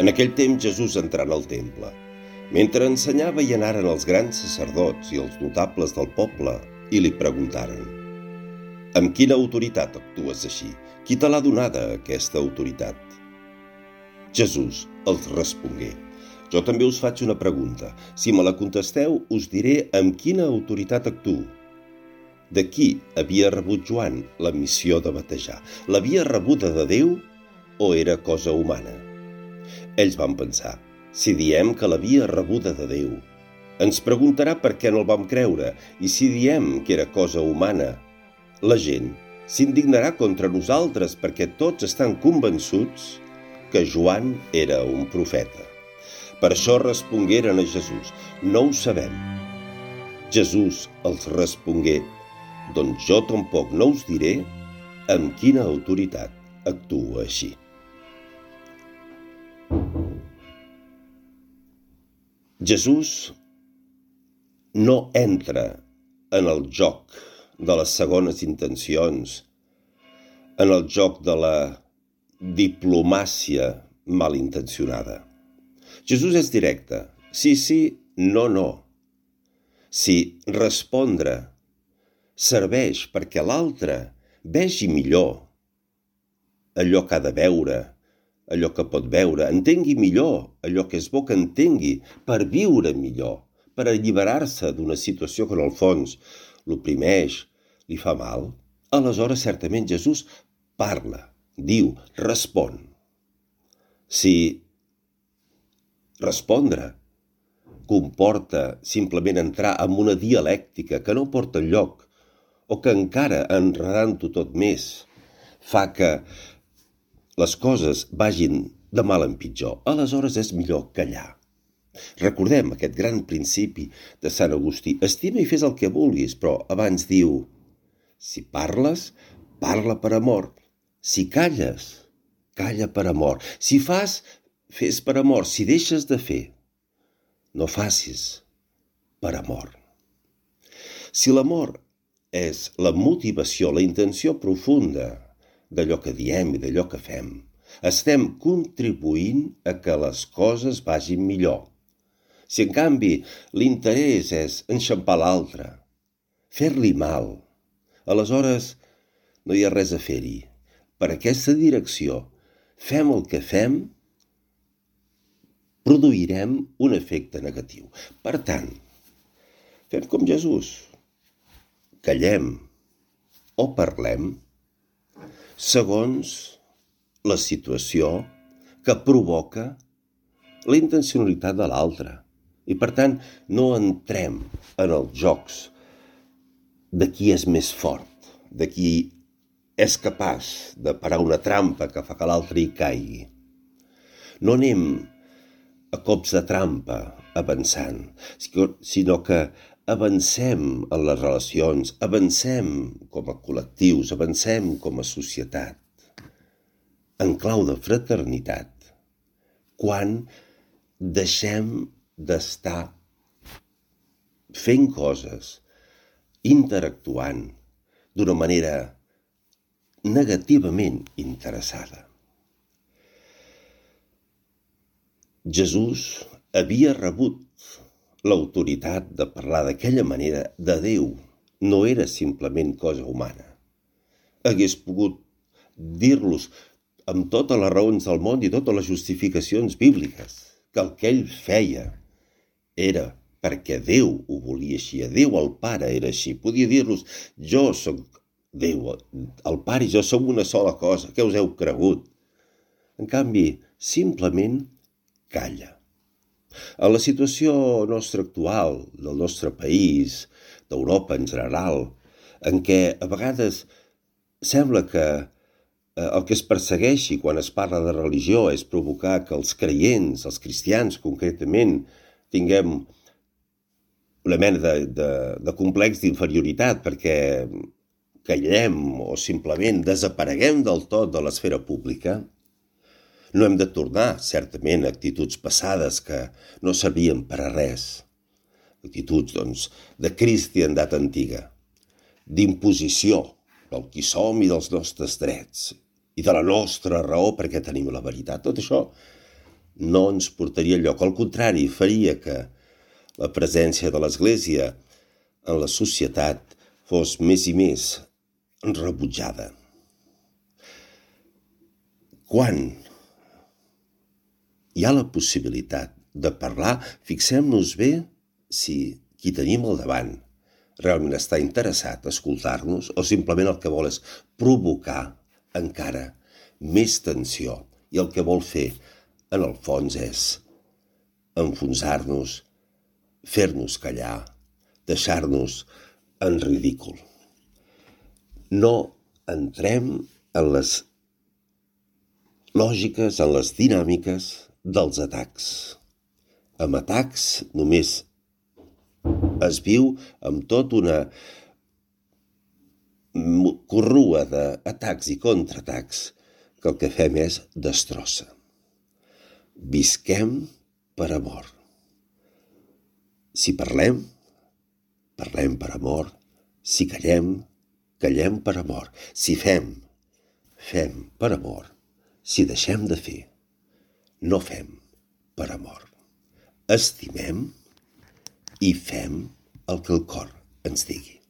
En aquell temps Jesús entrà en el temple. Mentre ensenyava hi anaren els grans sacerdots i els notables del poble i li preguntaren: «Amb quina autoritat actues així? Qui te l'ha donada, aquesta autoritat?» Jesús els respongué: «Jo també us faig una pregunta. Si me la contesteu, us diré amb quina autoritat actuo. De qui havia rebut Joan la missió de batejar? L'havia rebuda de Déu o era cosa humana?» Ells van pensar: si diem que l'havia rebuda de Déu, ens preguntarà per què no el vam creure, i si diem que era cosa humana, la gent s'indignarà contra nosaltres perquè tots estan convençuts que Joan era un profeta. Per això respongueren a Jesús: «No ho sabem». Jesús els respongué: «Doncs jo tampoc no us diré amb quina autoritat actuo així». Jesús no entra en el joc de les segones intencions, en el joc de la diplomàcia malintencionada. Jesús és directe: sí, sí, no, no. Si respondre serveix perquè l'altre vegi millor allò que ha de veure, allò que pot veure, entengui millor allò que és bo que entengui, per viure millor, per alliberar-se d'una situació que en el fons l'oprimeix, li fa mal, aleshores certament Jesús parla, diu, respon. Si respondre comporta simplement entrar en una dialèctica que no porta enlloc, o que encara enredant-ho tot més fa que les coses vagin de mal en pitjor, aleshores és millor callar. Recordem aquest gran principi de Sant Agustí: estima i fes el que vulguis, però abans diu: si parles, parla per amor. Si calles, calla per amor. Si fas, fes per amor. Si deixes de fer, no facis per amor. Si l'amor és la motivació, la intenció profunda d'allò que diem i d'allò que fem, estem contribuint a que les coses vagin millor. Si en canvi l'interès és enxampar l'altre, fer-li mal, aleshores no hi ha res a fer-hi. Per aquesta direcció, fem el que fem, produirem un efecte negatiu. Per tant, fem com Jesús. Callem o parlem segons la situació que provoca la intencionalitat de l'altre. I per tant, no entrem en els jocs de qui és més fort, de qui és capaç de parar una trampa que fa que l'altre hi caigui. No anem a cops de trampa avançant, sinó que avancem en les relacions, avancem com a col·lectius, avancem com a societat, en clau de fraternitat, quan deixem d'estar fent coses, interactuant d'una manera negativament interessada. Jesús havia rebut l'autoritat de parlar d'aquella manera de Déu, no era simplement cosa humana. Hagués pogut dir-los amb totes les raons del món i totes les justificacions bíbliques que el que ell feia era perquè Déu ho volia així, Déu el Pare era així. Podia dir-los: jo sóc Déu, el Pare i jo som una sola cosa, què us heu cregut? En canvi, simplement calla. A la situació nostra actual, del nostre país, d'Europa en general, en què a vegades sembla que el que es persegueixi quan es parla de religió és provocar que els creients, els cristians concretament, tinguem una mena de complex d'inferioritat perquè callem o simplement desapareguem del tot de l'esfera pública, no hem de tornar, certament, a actituds passades que no servien per a res. Actituds, doncs, de cristiandat antiga, d'imposició del qui som i dels nostres drets, i de la nostra raó perquè tenim la veritat. Tot això no ens portaria enlloc. Al contrari, faria que la presència de l'Església en la societat fos més i més rebutjada. Quan hi ha la possibilitat de parlar, fixem-nos bé si qui tenim al davant realment està interessat a escoltar-nos o simplement el que vol és provocar encara més tensió i el que vol fer en el fons és enfonsar-nos, fer-nos callar, deixar-nos en ridícul. No entrem en les lògiques, en les dinàmiques dels atacs. Amb atacs només es viu amb tot una corrua d'atacs i contraatacs que el que fem és destrossa. Visquem per amor. Si parlem, parlem per amor. Si callem, callem per amor. Si fem, fem per amor. Si deixem de fer, no fem per amor. Estimem i fem el que el cor ens digui.